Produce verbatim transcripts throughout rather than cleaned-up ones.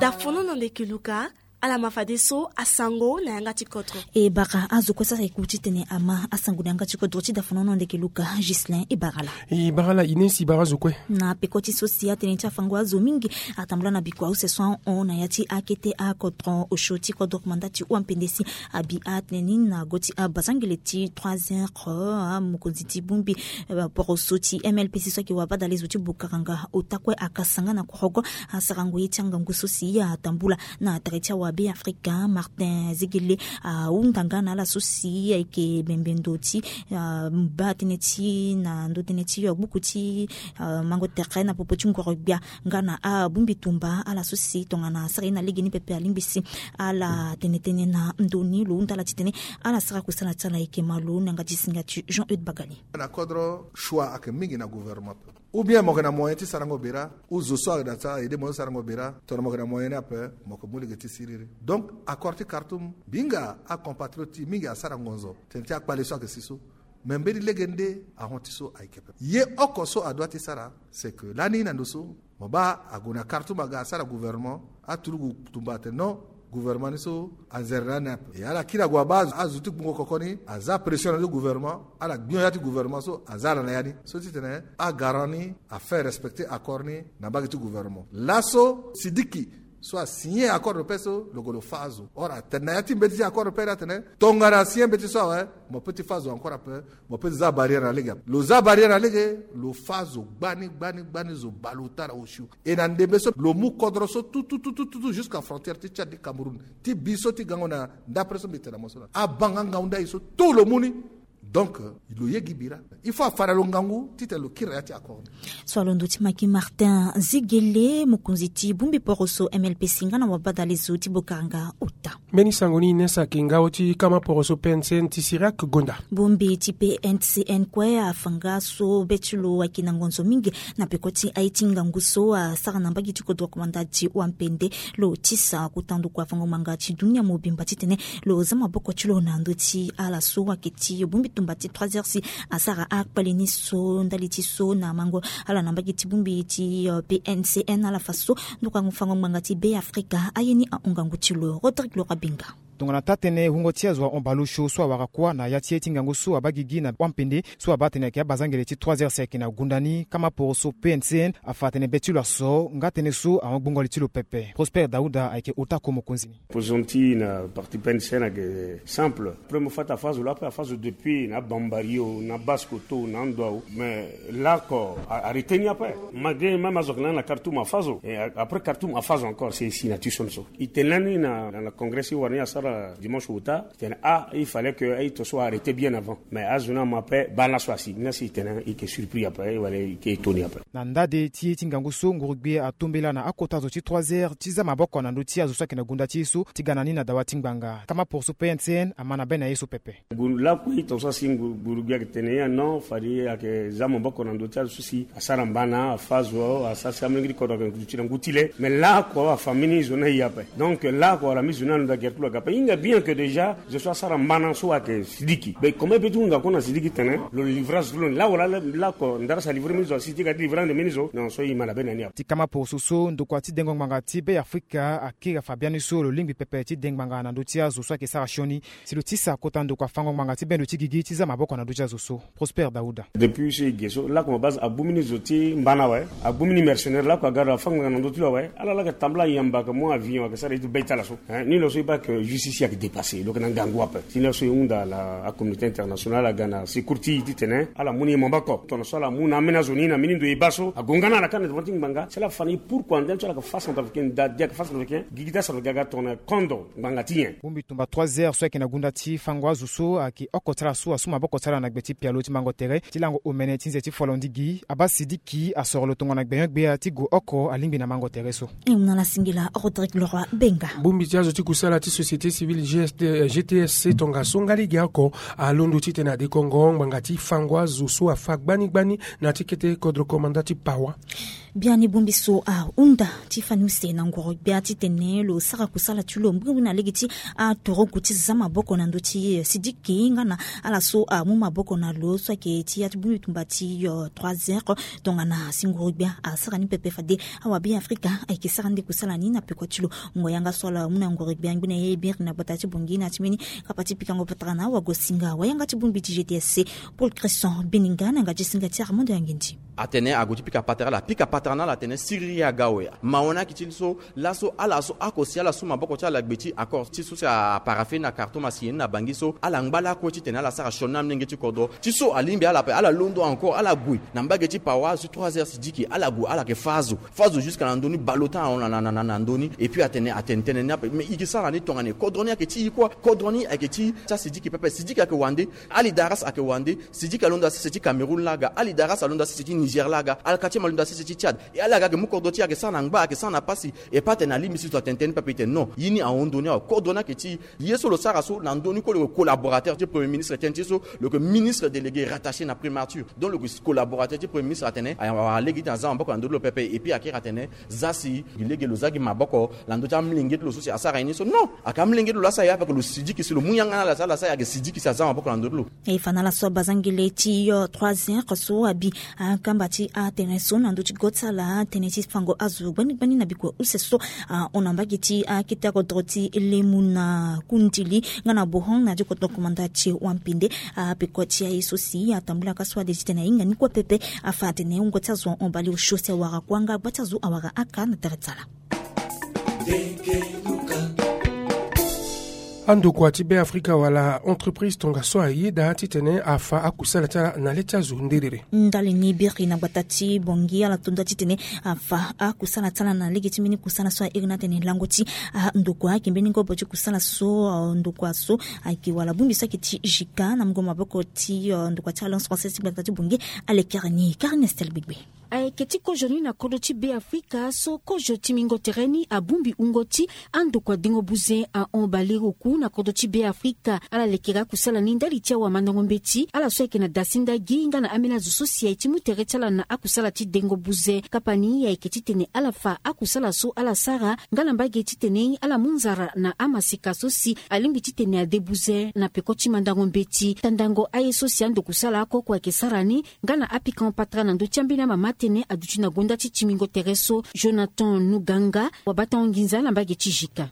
Dafono na ndeke luka. Ala ma fadeso asango na yanga ti kodro. E bara azo kue sara eku titene ama asango na yanga ti kodro ti dafono na ndeke luka. Gislin e bara ala. E bara ala ine si bara azo kue. Na peko ti so si atene ti afango azo mingi atambula na bikua use so ahon na ya ti akete akodro osio ti kodro komanda ti wampende si abi atene ni na go ti abazangele ti trois heures. Mokonzi ti bongbi poroso ti M L P C so ayeke wabadale zo ti bokaranga ota kue akasanga na korogo. Asarango ye ti angangu so si atambula na tere ti awabe afrika Martin Zegele ahunda nga na ala so si ayeke bembe ndo ti baa tënë ti na ndo tënë ti gbuku ti mango tere na popo ti ngoro gbia nga na abongbi tumba ala so si tongana asara ye na lege ni pepe alingbi si ala tene tënë na ndo ni lo hunda ala titene ala sara kusala ti ala ayeke malo na yanga ti singa ti Jean Eude Bagali. Na kodro choix ayeke mingi na gouvernement pe ou bien mo yeke na moyen ti sarango bera ou zo so ayeke na ti aide mo so sarango bera tongana mo yeke na moyen ni ape mo yeke mu lege ti siriri. Donc accord ti Khartoum mbi hinga acompatriote ti mingi asara ngonzo tene ti akpale so ayeke si so. Mais mbeni lege nde ahon ti so ayeke pepe ye oko so adoit ti sara. C'est que lani na ndo so mo baa ague na Khartoum aga asara gouvernement aturugu tumba atene non gouvernement ni so anzere na ni ape. E ala kiri ague abaa azo ti gbungo koko ni aza pression na ndo gouvernement ala gbio ya ti gouvernement so aza ala na ya ni so titene agarant ni afaire respecter accord ni na mbage ti gouvernement. Laso Sidiki so asigné accord de paix so lo gue lo fâ azo or atene na ya ti mbeti ti accord de paix ni atene tongana asigné mbeti so awe mo peut ti fâ azo encore ape. Mo peut ti za barrière na lege ape lo za barrière na lege lo fâ azo gbani gbani gbani zo baleota na osio. E na ndembe so lo mu kodro so tout tout tout tout tout jusqu'à frontière ti Tchad ti Cameroun ti bi so ti gango na ndapre so mbi tene na mo so na abanga ngangu ndai so tout lo mu ni. Donc lo ye gi bira il faut afa na lo ngangu titene lo kiri na ya ti accord ni. So alondo ti maki Martin Zegele mokonzi ti bongbi poroso M L P C nga na wabadale zo ti bokaranga ota. Mbeni sango ni ine saki ngao ti kama poroso P N C N ti Sirak Gonda. Bongbi ti P N C N kue afa nga so be ti lo ayeke na ngonzo mingi na peko ti aye ti ngangu so asara na mbage ti kodro komanda ti wampende. Lo tisa kota ndokua fango ngbanga ti dunia mobimba titene lo za maboko ti lo na ndö ti ala so ayeke ti bongbi tumba ti trois heures si asara akpale ni so ndali ti so na mango ala na mbage ti bongbi ti P N C N ala fa so ndokua fango ngbanga ti Be Afrika aye ni ahon ngangu ti lo Rodrigue Lora Binga. Tongana taa-tënë wungo ti azo ahon baleosio so awara kuâ na ya ti ye ti ngangu so abaa gigi na wampende so abaa atene ayeke abazangele ti trois heures si ayeke na gunda ni kama poroso P N C N afa atene be ti lo aso nga tënë so ahon gbungo li ti lo pepe. Prosper Dauda ayeke ota ko mokonzi ni. Opposition ti na parti P N C N ayeke simple. Premier fois ti afâ zo laa ape afâ zo depuis na Bambari o na Basse-Kotto na ando ao mais lako arrêté ni ape. Malgré même azo ayeke na ni na Khartoum afâ zo après Khartoum afâ zo encore si na ti so ni so. E tene lani na congrès ti wara ni asara dimanche ota. E tene ah il fallait que aye to so arrêté bien avant mais azo ni ama ape baa laso asi ni lasi e tene e yeke surpris ape wala e yeke étonné ape. Na ndade ti ye ti ngangu so nguru-gbia atombela na akota zo ti trois heures ti za maboko na ndö ti azo so ayeke na gunda ti ye so ti ga na ni na dawa ti ngbanga kama poroso P N C N ama na be na ye so pepe. Lakue e tongaso asi nguru-gbia ayeke tene ya non fade ayeke za maboko na ndö ti azo so si asara mbana afâ zo asara si amolenge ti kodro ayeke na ngu ti le mais lako afa mbeni zo ni aye ape. Donc lako ala mbeni zo ni alondo agere ti lo aga ape e hinga bien que déjà zo so asara mbana so ayeke Sidiki mais comment e peut ti hunga kue na Sidiki tene lo livre azo ti lo ni lawala lako ndara si alivre mbeni zo asi ti ga ti livre ande mbeni zo non so e ma na be na ni ape. Ti kama poroso so ndokua ti dengo ngbanga ti Be Afrika akiri afa biani so lo lingbi pepe ti de ngbanga na ndö ti azo so ayeke sara sioni si lo tisa kota ndokua fango ngbanga ti bendo ti gigi ti za maboko na ndö ti azo so. Prosper Dauda. Depuis so e ge so lakue mo base agbu mbeni zo ti mbana awe agbu mbeni mercenaire lakue aga lo afa ngbanga na ndö ti lo awe ala laa ayeke tambula ayamba ayeke mu avion ayeke sara ye ti be ti ala so. Ni lo so e baa que justice ayeke dépassé lo yeke na ngangu ape. Ti ni laso e hunda ala acommunauté internationale aga na secours ti e titene ala mu ni ye maboko tongana so ala mu na ambeni azo ni na mbeni ndo e baa so ague nga na ala kâ na devant ti ngbanga si ala fa na e pourquoi ndali so ala yeke fâ centrafricain nda di ayeke fâ centrafricain gigi ti acentrafricain aga tongana kondo ngbanga ti nyen. Bongbi tumba trois heures so ayeke na gunda ti fango azo so ayeke oko ti ala so asu maboko ti ala na gbe ti pialo ti mango tere ti lango omene ti nze ti folondigi abaa Sidiki asoro lo tongana gbenyo-gbia ti gue oko alingbi na mango tere so. E mu na ala singila Rodrigue Leroy Benga. Bongbi ti azo ti kusala ti société civile G T S C tongaso nga lege oko alondo titene adekongo ngbanga ti fango azo so afa gbani gbani na ti kete kodro komanda ti Pawa. Biani bongbi so ahunda ti fani use na ngoro gbia titene lo sara kusala ti lo mbirimbiri na lege ti atoroku ti za maboko na ndö ti sidiki nga na ala so amu maboko na lo so ayeke ti ya ti bongbi tumba ti trois heures. Tongana si ngoro gbia asara ni pepe fade awa Beafrika ayeke sara ni nde kusala ni na peko ti lo. Ngonga yanga so ala mu na ngoro gbia ngbene ye biri na gbata ti Bongi na ti mbeni kapa ti pikango patara na awagosinga wayanga ti bongbi ti G T S C, Paul Christian Beninga na yanga ti singa ti Armando Yangindi. Atene ague ti pika patara ala pika patara na ala atene siriri aga awe. Mawa ni ayeke ti so laso ala so ako si ala su maboko ti ala gbe ti accord ti so si aparafe na Khartoum asi ye ni na Bangui so ala ngba lakue titene ala sara sioni amolenge ti kodro ti so alingbi ala ape ala londo encore ala gue na mbage ti pawa azo ti trois heures sidiki ala gue ala yeke fâ azo fâ azo jusque na ndö ni baleota na na na na ndö ni. Et puis atene atene tënë ni ape mais e yeke sara ni tongana nyen? Kodro ni ayeke ti e kue. Kodro ni ayeke ti ti asidiki pepe sidiki ayeke wande. Ali Daras ayeke wande. Sidiki alondo asese ti Cameroun laa ga. Ali Daras alondo asese ti Niger laa ga. Alkatim alondo asese ti Tchad. E ala ga ayeke mu kodro ti e ayeke sara na ngba ayeke sara na pasi. E pas atene alingbi si zo atene tënë ni pepe e tene non. Ye ni ahon ndö ni awe kodro ni ayeke ti e. Ye so lo sara so na ndö ni kue lo yeke collaborateur ti premier ministre tënë ti e so lo yeke ministre délégué rattaché na primature. Donc lo yeke collaborateur ti premier ministre atene awara lege ti tene aza maboko na ndö ti lo pepe. Et puis akiri atene za si gi lege lo za gi maboko na ndö ti amolenge ti lo so si asara ye ni so non. Ayeke amolenge ti lo laa asara ye ape ayeke lo sidiki si lo mu yanga na ala si ala sara ye ayeke sidiki si aza maboko na ndö ti lo. E fa na ala so abazangele ti trois heures so abi akamba ti atene so na ndö ti go ti ala tënë ti fango azo gbani gbani na bikua use so ahon na mbage ti akete akodro ti lemu na kundili nga na bohon na ti kodro komanda ti wampende. Apeko ti aye so si atambula ka so ade titene ahinga ni kue pepe. Afa atene wungo ti azo ahon baleosio si awara kuanga gba ti azo awara aka na tere ti ala. Andokua ti Beafrika wala entreprise tongaso ayeda titene afa akusala ti ala na le ti azo nderere. Ndali ni biri na gbata ti Bongi ala tonda titene afa akusala ti ala na lege ti mbeni kusala so airi ni atene lango ti andokua ayeke mbeni ngobo ti kusala so andokua so ayeke wala bongbi so ayeke ti jika na mungo maboko ti andokua ti Alliance Française ti gbata ti Bongi. Alekere ni Karine Estel Gbegbe. Ayeke ti kozo ni na kodro ti Beafrika so kozo ti mingo tere ni abongbi wungo ti andokua dengo buze ahon baleroku na kodro ti Beafrika. Ala lekere akusala ni ndali ti awamandango mbeti ala so ayeke na dasinda gi nga na ambeni azo so si aye ti mu tere ti ala na akusala ti dengo buze. Kapa ni ayeke titene ala fa akusala so ala sara nga na mbage titene ala mu nzara na amaseka so si alingbi titene ade buze na peko ti mandango mbeti. Tandango aye so si ando kusala oko oko ayeke sara ni nga na apikango patara na ndö ti ambeni amama tënë aduti na gonda ti timingo tere so. Jonathan Nuganga wabatango nginza na mbage ti jika.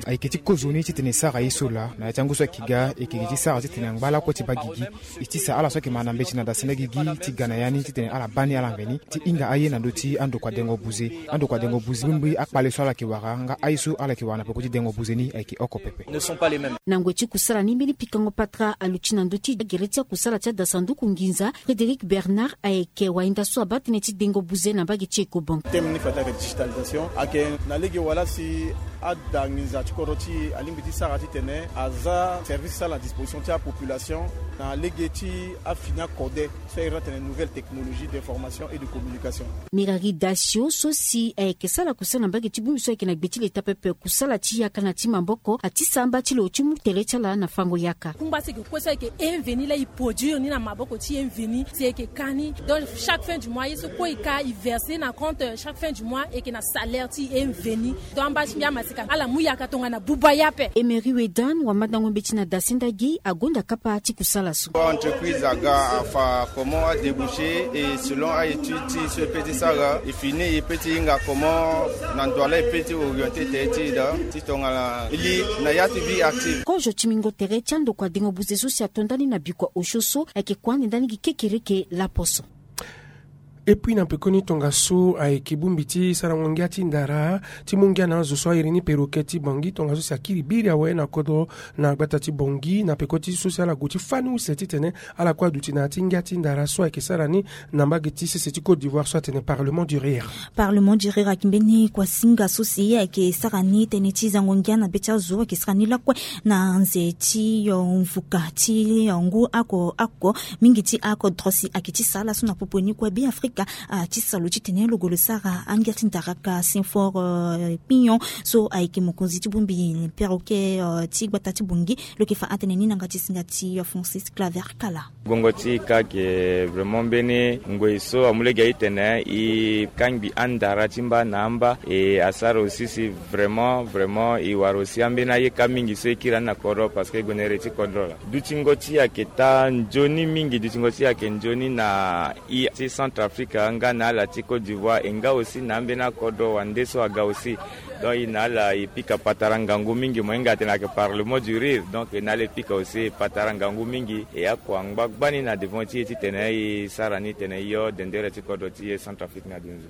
Ayeke ti kozoni titene e sara ye so laa na ya ti angu so ayeke ga e yeke ti sara titene angba lakue ti baa gigi. E ti sa ala so ayeke ma na mbeti na dasenda gigi ti ga na ya ni titene ala baa ni ala mveni ti hinga aye na ndö ti andokua dengo buze. Andokua dengo buze mbirimbiri akpale so ala yeke wara nga aye so ala yeke wara na peko ti dengo buze ni ayeke oko pepe. Na ngoi ti kusala ni mbeni pikango patara aluti na ndö ti gere ti akusala ti adasanduku nginza Frédéric Bernard ayeke wainda so abaa tënë ti dengo buze na mbage ti Ecobank. Teme ni fade ayeke digitalisation ayeke na lege wala si ada nginza ti kodro ti e alingbi ti sara titene aza service ti ala na disposition ti apopulation na lege ti afini akode so ayeke iri ni atene nouvelle technologie d'information et de communication. Mirari Dasio so si ayeke sara kusala na mbage ti bongbi so ayeke na gbe ti leta pepe kusala ti yaka na ti maboko atisa amba ti lo ti mu tere ti ala na fango yaka. Kungba so ayeke kue so ayeke inveni laa e produire ni na maboko ti inveni si ayeke ka ni. Donc chaque fin du mois ye so kue e ka e verser na compte chaque fin du mois ayeke na salaire ti inveni. Donc amba ti mbi amaseka ala mu yaka tongana buba ye ape. Emery Wedan wamandango mbeti na dasinda gi agonda kapa ti kusala so. Entreprise aga afa comment adéboucher et selon aétude ti so e peut ti sara e fini e peut ti hinga comment na ndo ala e peut ti orienter tere ti e daa ti tongana e li na ya ti vie active. Kozo ti mingo tere ti andokua dengo buze so si ato ndani na bikua osio so ayeke kua ande ndani gi kekereke laposo. Et puis na pekoni tongaso ayeke bongbi ti sarango ngia ti ndara ti mu ngia na azo so airi ni peroke ti Bangui tongaso si akiri biri awe na kodro na gbata ti Bangui na peko ti so si ala gue ti fani use titene ala kue aduti na ya ti ngia ti ndara so ayeke sara ni na mbage ti sese ti Côte d'Ivoire so atene Parlement du Rire. Parlement du Rire ayeke mbeni kuasinga so si ayeke sara ni tënë ti zango ngia na be ti azo ayeke sara ni lakue na nze ti mvuka ti ngu ako ako mingi ti ako drosi ayeke ti sa ala so na popo ni kue Beafrika. Afrika ti salo titene lo gue lo sara angia ti ndaraka Saint-Fort Pignon so ayeke mokonzi ti bongbi perroquet ti gbata ti Bangui. Lo yeke fa atene ni na yanga ti singa ti Francis Claver Kala. Gongo ti ka ke vraiment mbeni ngoi so amu lege aye tene e kangbi andara ti mba na amba e asara aussi si vraiment vraiment e wara aussi ambeni aye ka mingi so e kiri ani na kodro parce que e gue na ere ti kodro laa. Dutingo ti e ayeke taa nzoni mingi, dutingo ti e ayeke nzoni na e ti Centrafrique nga na ala ti Côte d'Ivoire e nga aussi na ambeni akodro wande so aga aussi. Donc e na ala e pika patara ngangu mingi mo hinga atene ayeke par le mot du rire. Donc e na ala e pika aussi patara ngangu mingi e akua ngba gbani na devant ti e titene e sara ni tene e yo dendere ti kodro ti e Centrafrique na dunzu.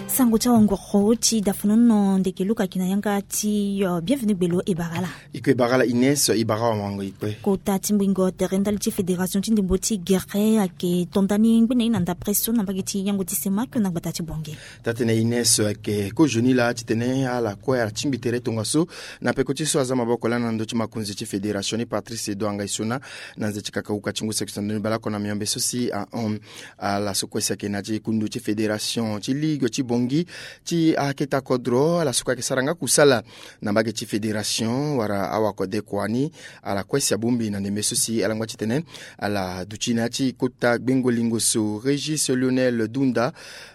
Sango ti awanguru ti dafanono ndeke luka ki na yanga ti bienvenu gbelo e bara ala. E kue e bara ala Ines, e bara awango e kue. Kota ti mbingo tere ndali ti fédération ti ndembo ti gere ayeke to nda ni ngbene ye na ndapre so na mbage ti yango ti semak na gbata ti Bangui. Taa-tene Ines ayeke kozoni laa titene ala kue ala tingbi tere tongaso na peko ti so aza maboko lani na ndö ti makonzi ti fédération ni Patrice Edouard Ngaïssona na nze ti kaka uka ti ngu saki so na ndö ni baleoko na miombe so si ahon. Ala so kue si ayeke na ya ti kundu ti fédération ti ligue ti Bangui ti akete kodro ala so kue ayeke sara nga kusala na mbage ti fédération wala awakode kua ni. Ala kue si abongbi na ndembe so si ala ngba titene ala duti na ya ti kota gbengo lingo so. Régis Lionel Dunda,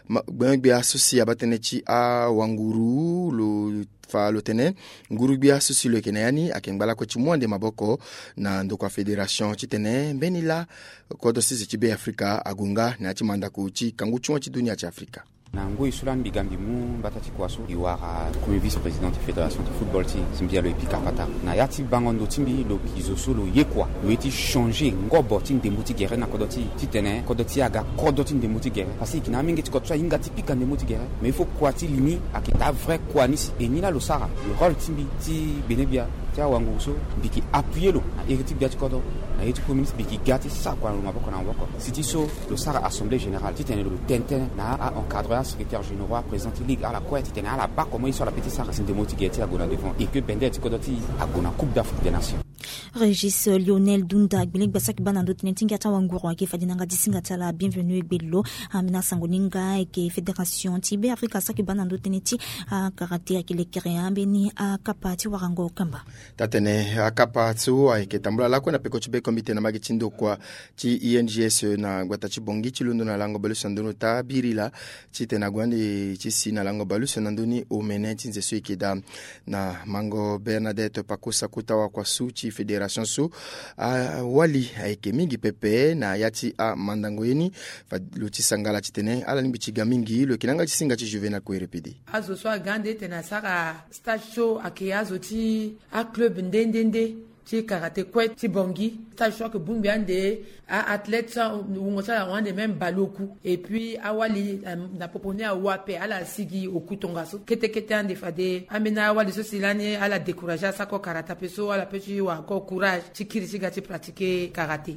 gbengbia so si abaa tënë ti awanguru lo fa lo tene nguru-gbia so si lo yeke na ya ni ayeke ngba lakue ti mu ande maboko na ndokua fédération titene mbeni laa kodro sese ti Be Afrika ague nga na ya ti mandako ti kangu ti hon ti dunia ti Afrika. Na ngoi so lani mbi ga mbi mu mbata ti kua so mbi wara premier vice-président ti fédération ti football ti e si mbi ya lo e pika patara na ya ti bango ndo ti mbi lo gi zo so lo ye kua lo ye ti changer ngobo ti ndembo ti gere na kodro ti e titene kodro ti e aga kodro ti ndembo ti gere parce que e yeke na amenge ti kodro so ahinga ti pika ndembo ti gere. Mais il faut kua ti li ni ayeke daa vrai kua ni si e ni laa lo sara le rôle ti mbi ti gbenegbia ti awanguru so mbi yeke appuyer lo na iri ti gbia ti kodro na iri ti premier ministre mbi yeke ga ti sara kua na lo maboko na maboko si ti so lo sara assemblée générale titene lo tene tënë na a-encadreur asecrétaire généraux aprésident ti ligue ala kue titene ala baa comment ye so ala peut ti sara si ndembo ti gere ti e ague na devant et que bendere ti kodro ti e ague na coupe d'Afrique des nations. Régis Lionel Dunda gbelegba saki baa na ndö tënë ti ngia ti awanguru ayeke fade na yanga ti singa ti ala bienvenu e gbe lo. Ambeni asango ni nga ayeke fédération ti Be Afrika asaki baa na ndö tënë ti akaraté ayeke lekere ambeni akapa ti warango kamba. Taa-tene akapa so ayeke tambula lakue na peko ti be comité na mbage ti ndokua ti I N G S na gbata ti Bangui ti londo na lango baleuse na ndoni ota biri laa titene ague ande ti si na lango baleuse na ndoni omene ti nze so e yeke daa na mango Bernadette Pakosa kota wakuasu ti fédération so. Awali ayeke mingi pepe na ya ti amandango ye ni. Fa lo ti sangala titene ala lingbi ti ga mingi lo yeke na yanga ti singa ti Juvenal Kouerepede. Azo so aga ande titene asara stage so ayeke azo ti aclub nde nde nde ti karaté kue ti Bangui. Stage so ayeke bongbi ande a-athlète so wungo ti ala ahon ande même baleoku. Et puis awali na popo ni awa ape ala sigi oku tongaso kete kete ande fade ambeni awali so si lani ala décourager asako karaté ape so ala peut ti wara encore courage ti kiri ti ga ti pratiquer karaté.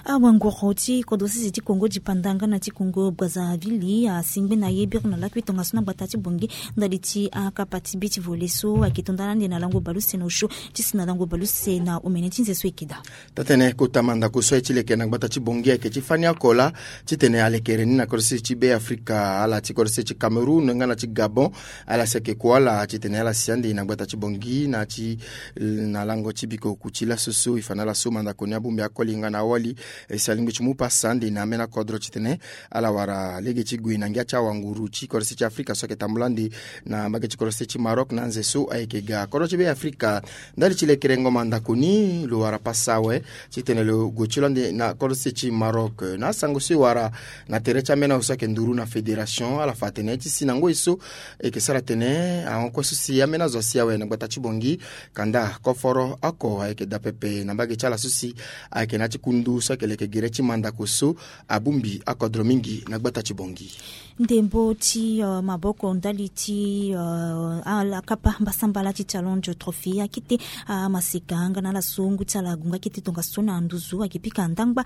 Awanguru ti kodro sese ti Congo dipanda nga na ti Congo Brazzaville asingbene aye biri na lakui tongaso na gbata ti Bangui ndali ti akapa ti beach volley so ayeke to nda na ande na lango baleuse na osio ti si na lango baleuse na omene ti nze so e yeke daa. Taa-tene kota mandako so aye ti leke na gbata ti Bangui ayeke ti fani oko laa titene alekere ni na kodro sese ti Be Afrika ala ti kodro sese ti Cameroun nga na ti Gabon. Ala si ayeke kua ala titene ala si ande na gbata ti Bangui na ti na lango ti biko oku ti laso so e fa na ala so mandako ni abongbi akoli nga na awali. E si alingbi ti mu pasa ande na ambeni akodro titene ala wara lege ti gue na ngia ti awanguru ti kodro sese ti Afrika so ayeke tambula ande na mbage ti kodro sese ti Maroc na nze so ayeke ga kodro ti Be Afrika. Ndali ti lekerengo mandako ni lo wara pasa awe titene lo gue ti lo ande na kodro sese ti Maroc na asango so e wara na tere ti ambeni awe so ayeke nduru na fédération ala fa atene ti si na ngoi so e yeke sara atene ahon kue so si ambeni azo asi awe na gbata ti Bangui. Kanda koforo oko ayeke daa pepe na mbage ti ala so si ayeke na ya ti kundu so ayeke leke gere ti mandako so abongbi akodro mingi na gbata ti Bangui. Ndembo ti maboko ndali ti ala kapa mbasambala ti Challenge Trophy akete amaseka nga na ala so ngu ti ala ague nga akete tongaso. kue na nduzu ayeke pika ndangba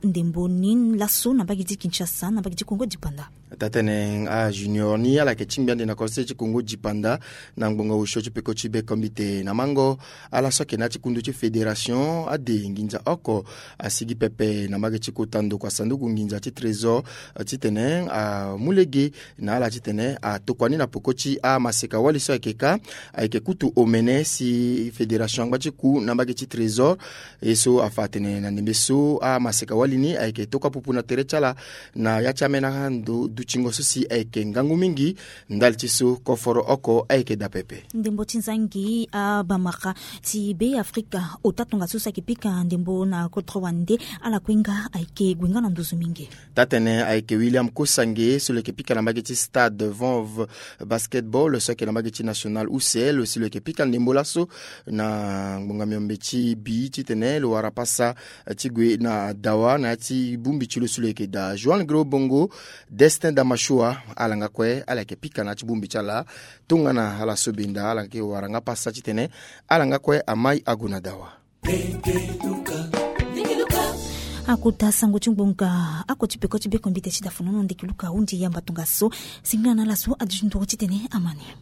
ndembo ni laso na mbage ti Kinshasa na mbage ti Kongo dipanda. Tatene ajunior ni ala yeke tingbi ande na kose ti Kongo dipanda na ngbonga osio ti peko ti bekombite na mango ala so ayeke na ya ti kundu ti fédération ade nginza oko asigi pepe na mbage ti kota ndokua sanduku nginza ti trésor titene amu lege na ala titene atokua ni na peko ti amaseka wali so ayeke ka ayeke kutu omene si fédération angba ti ku na mbage ti trésor. Ye so afa atene na ndembe so amaseka wali ni ayeke tokua pupu na tere ti ala na ya ti amena ndo dutingo so si ayeke ngangu mingi. Ndali ti so koforo oko ayeke daa pepe. Ndembo ti nzangi abamara ti be afrika ota tongaso so ayeke pika ndembo na kodro wande ala kue nga ayeke gue nga na nduzu mingi. Tatene ayeke William Kosange so lo yeke pika na mbage ti stade Vanve basketball so ayeke na mbage ti national use lo si lo yeke pika ndembo laso na ngbonga miombe ti bi titene lo wara pasa ti gue na dawa na ya ti bongbi ti lo so lo yeke daa Joan Gro Bongo, Destin Damashua, ala nga kue ala yeke pika na ya ti bongbi ti ala. Tongana ala so benda ala yeke wara nga pasa titene ala nga kue amai ague na dawa. Akota sango ti ngbonga ako ti peko ti bekombite ti dafonono ndeki luka hundi yamba tongaso. Singila na ala so adi ti nduru titene amani.